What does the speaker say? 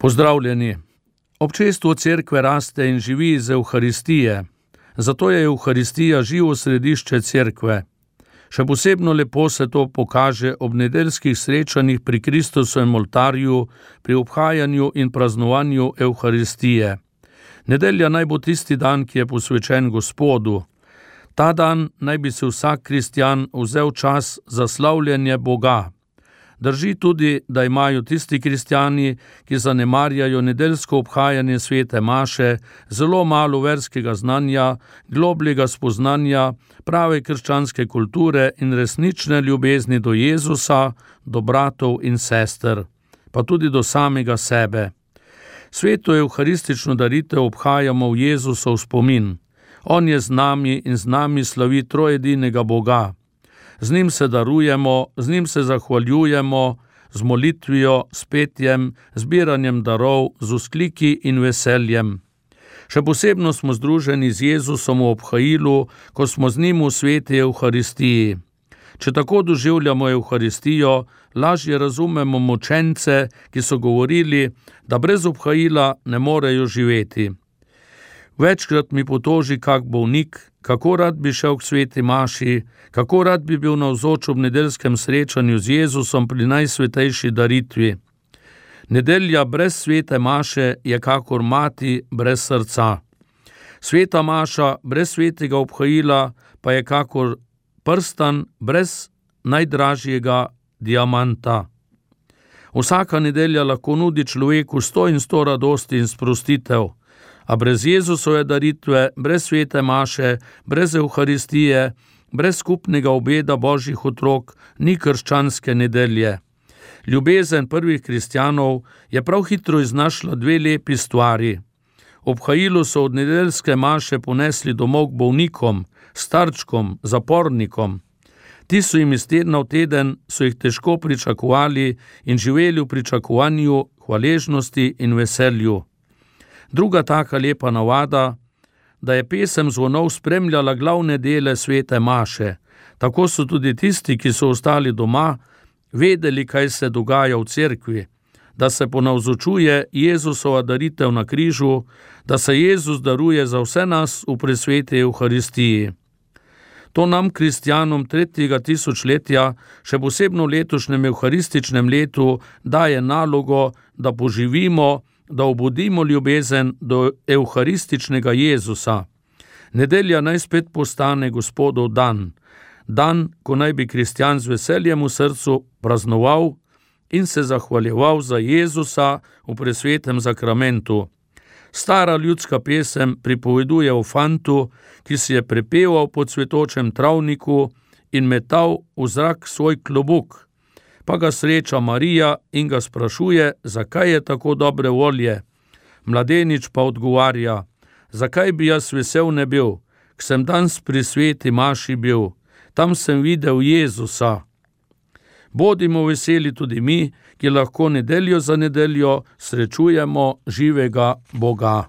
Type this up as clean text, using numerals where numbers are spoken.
Pozdravljeni. Občestvo cerkve raste in živi iz Evharistije, zato je Evharistija živo središče cerkve. Še posebno lepo se to pokaže ob nedeljskih srečanjih pri Kristusovem oltarju, pri obhajanju in praznovanju Evharistije. Nedelja naj bo tisti dan, ki je posvečen Gospodu. Ta dan naj bi se vsak kristjan vzel čas za slavljenje Boga. Drži tudi, da imajo tisti kristjani, ki zanemarjajo nedeljsko obhajanje svete maše, zelo malo verskega znanja, globljega spoznanja, prave krščanske kulture in resnične ljubezni do Jezusa, do bratov in sester, pa tudi do samega sebe. Sveto evharistično daritev obhajamo v Jezusov spomin. On je z nami in z nami slavi trojedinega Boga. Z njim se darujemo, z njim se zahvaljujemo, z molitvijo, s petjem, zbiranjem darov, z vzkliki in veseljem. Še posebno smo združeni z Jezusom v obhajilu, ko smo z njim v sveti Evharistiji. Če tako doživljamo Evharistijo, lažje razumemo mučence, ki so govorili, da brez obhajila ne morejo živeti. Večkrat mi potoži kak bolnik, kako rad bi šel k sveti maši, kako rad bi bil navzoč ob nedeljskem srečanju z Jezusom pri najsvetejši daritvi. Nedelja brez svete maše je kakor mati brez srca. Sveta maša brez svetega obhajila pa je kakor prstan brez najdražjega diamanta. Vsaka nedelja lahko nudi človeku 100 in 100 radosti in sprostitev, a brez Jezusove daritve, brez svete maše, brez Evharistije, brez skupnega obeda Božjih otrok, ni krščanske nedelje. Ljubezen prvih kristjanov je prav hitro iznašla dve lepi stvari. Obhajilu so od nedeljske maše ponesli domov k bolnikom, starčkom, zapornikom. Ti so jim iz tedna v teden, so jih težko pričakovali in živeli v pričakovanju, hvaležnosti in veselju. Druga taka lepa navada, da je pesem zvonov spremljala glavne dele svete maše. Tako so tudi tisti, ki so ostali doma, vedeli, kaj se dogaja v cerkvi, da se ponavzočuje Jezusova daritev na križu, da se Jezus daruje za vse nas v presveti Evharistiji. To nam, kristjanom 3. tisočletja, še posebno v letošnjem evharističnem letu, daje nalogo, da poživimo, da obudimo ljubezen do evharističnega Jezusa. Nedelja naj spet postane Gospodov dan. Dan, ko naj bi kristjan z veseljem v srcu praznoval in se zahvaljeval za Jezusa v presvetem zakramentu. Stara ljudska pesem pripoveduje o fantu, ki si je prepeval po cvetočem travniku in metal v zrak svoj klobuk. Pa ga sreča Marija in ga sprašuje, zakaj je tako dobre volje. Mladenič pa odgovarja, zakaj bi jaz vesel ne bil, k sem danes pri sveti maši bil, tam sem videl Jezusa. Bodimo veseli tudi mi, ki lahko nedeljo za nedeljo srečujemo živega Boga.